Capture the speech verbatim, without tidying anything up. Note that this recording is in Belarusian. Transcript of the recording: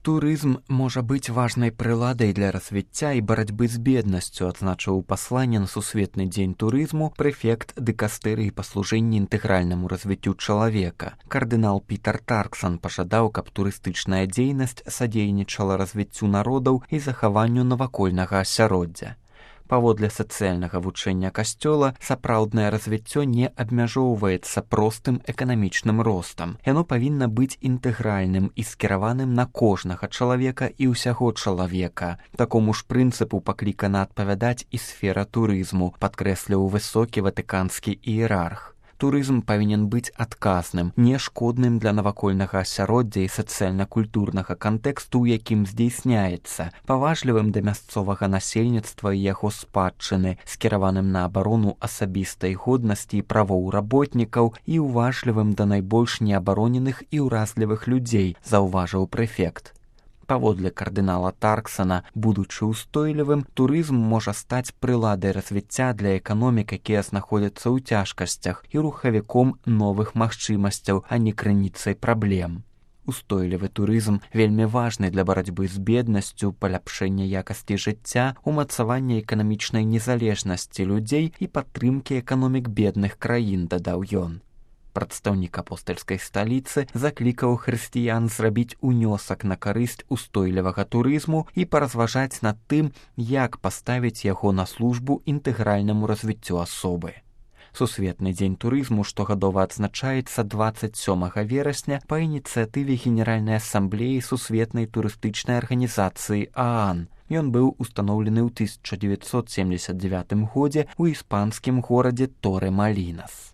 Турызм можа быць важнай прыладай для развіцця і барацьбы з беднасцю, адзначыў у пасланні на сусветны дзень турызму прэфект дыкастэрыі па служэнні інтэгральнаму развіццю чалавека. Кардынал Пітер Тарксан пажадаў, каб турыстычная дзейнасць садзейнічала развіццю народаў і захаванню навакольнага асяроддзя. Паводле сацыяльнага вучэння касцёла, сапраўднае развіццё не абмяжоўваецца простым эканамічным ростам. Яно павінна быць інтэгральным і скіраваным на кожнага чалавека і ўсяго чалавека. Такому ж прынцыпу паклікана адпавядаць і сфера турызму, падкрэсліў высокі ватыканскі іерарх. Турызм павінен быць адказным, не шкодным для навакольнага асяроддзя і сацыяльна-культурнага кантэксту, у якім здзейсняецца, паважлівым да мясцовага насельніцтва і яго спадчыны, скіраваным на абарону асабістай годнасці і правоў работнікаў і уважлівым да найбольш неабароненых і ўразлівых людзей, заўважыў прэфект. Паводле кардынала Тарксана, будучы ўстойлівым, турызм можа стаць прыладай развіцця для эканомік, якія знаходзяцца ў цяжкасцях, і рухавіком новых магчымасцяў, а не крыніцай праблем. Устойлівы турызм вельмі важны для барацьбы з беднасцю, паляпшэння якасці жыцця, умацавання эканамічнай незалежнасці людзей і падтрымкі эканомік бедных краін, дадаў ён. Прадстаўнік апостальскай сталіцы заклікаў хрысціян зрабіць унёсак на карысць устойлівага турызму і паразважаць над тым, як паставіць яго на службу інтэгральнаму развіццю асобы. Сусветны дзень турызму штогадова адзначаецца дваццаць сёмага верасня па ініцыятыве Генеральнай асамблеі сусветнай турыстычнай арганізацыі ААН. Ён быў устаноўлены ў тысяча дзевяцьсот семдзесят дзевятым годзе ў іспанскім горадзе Торе-Малінас.